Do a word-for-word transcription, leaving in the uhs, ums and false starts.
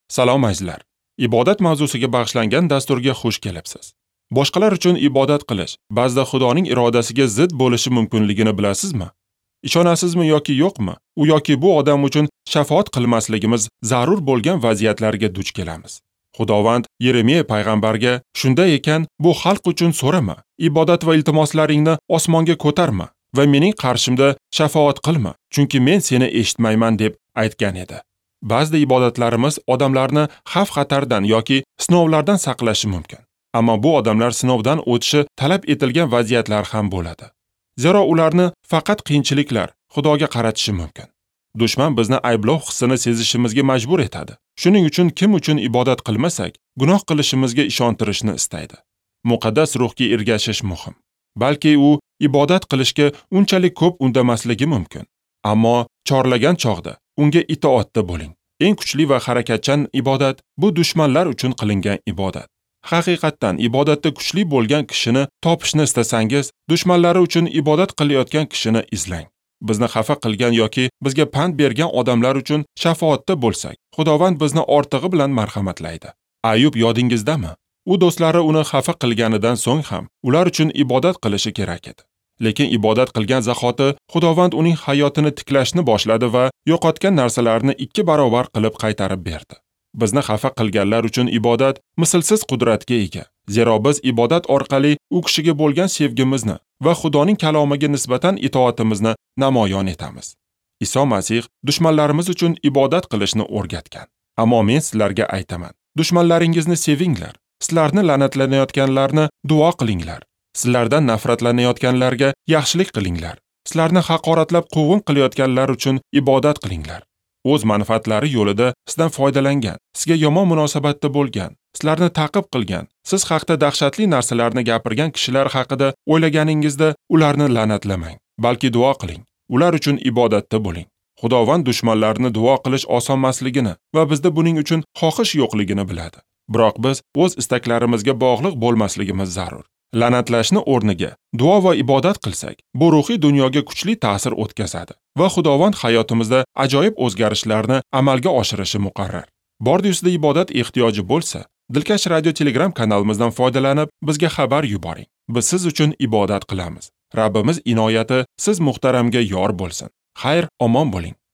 Salom azizlar. Ibodat mavzusiga bag'ishlangan dasturga xush kelibsiz. Boshqalar uchun ibodat qilish ba'zida Xudoning irodasiga zid bo'lishi mumkinligini bilasizmi? Ishonasizmi yoki yo'qmi? U yoki bu odam uchun shafaat qilmasligimiz zarur bo'lgan vaziyatlarga duch kelamiz. Xudovand Yeremiya payg'ambarga shunday ekan, bu xalq uchun so'rama, ibodat va iltimoslaringni osmonga ko'tarma va mening qarshimda shafaat qilma, chunki men seni eshitmayman deb aytgan edi. Ba'zida ibodatlarimiz odamlarni xavf-xatardan yoki sinovlardan saqlashi mumkin. Ammo bu odamlar sinovdan o'tishi talab etilgan vaziyatlar ham bo'ladi. Zero ularni faqat qiyinchiliklar Xudoga qaratishi mumkin. Dushman bizni ayblov hissini sezishimizga majbur etadi. Shuning uchun kim uchun ibodat qilmasak, gunoh qilishimizga ishontirishni istaydi. Muqaddas ruhga ergashish muhim. Balki u ibodat qilishga unchalik ko'p undamasligi mumkin. Ammo chorlagan chog'da unga itoatda bo'ling. Eng kuchli va harakatchan ibodat bu dushmanlar uchun qilingan ibodat. Haqiqatdan ibodatda kuchli bo'lgan kishini topishni istasangiz, dushmanlari uchun ibodat qilayotgan kishini izlang. Bizni xafa qilgan yoki bizga pand bergan odamlar uchun shafoatda bo'lsak, Xudovand bizni ortig'i bilan marhamatlaydi. Ayub yodingizdami? U do'stlari uni xafa qilganidan so'ng ham ular uchun ibodat qilishi kerak edi. Lekin ibodat qilgan zahoti Xudovand uning hayotini tiklashni boshladi va yo'qotgan narsalarini ikki barobar qilib qaytarib berdi. Bizni xafa qilganlar uchun ibodat mislsiz qudratga ega. Zero biz ibodat orqali u kishiga bo'lgan sevgimizni va Xudoning kalomiga nisbatan itoatimizni namoyon etamiz. Iso Masih dushmanlarimiz uchun ibodat qilishni o'rgatgan. Ammo men sizlarga aytaman, dushmanlaringizni sevinglar, sizlarni la'natlanayotganlarni duo qilinglar, sizlardan nafratlanayotganlarga yaxshilik qilinglar, sizlarni haqoratlab quvg'in qilayotganlar uchun ibodat qilinglar. O'z manfaatlari yo'lida sizdan foydalangan, sizga yomon munosabatda bo'lgan, sizlarni ta'qib qilgan, siz haqda dahshatli narsalarni gapirgan kishilar haqida o'ylaganingizda ularni la'natlamang, balki duo qiling. Ular uchun ibodatda bo'ling. Xudovand dushmanlarni duo qilish osonmasligini va bizda buning uchun xohish yo'qligini biladi. Biroq biz o'z istaklarimizga bog'liq bo'lmasligimiz zarur. La'natlashni o'rniga duo va ibodat qilsak, bu ruhiy dunyoga kuchli ta'sir o'tkazadi va Xudovand hayotimizda ajoyib o'zgarishlarni amalga oshirishi muqarrar. Bordi-ustida ibodat ehtiyoji bo'lsa, Dilkash Radio Telegram kanalimizdan foydalanib, bizga xabar yuboring. Biz siz uchun ibodat qilamiz. Rabbimiz inoyati siz muhtaramga yor bo'lsin. Xayr, omon bo'ling.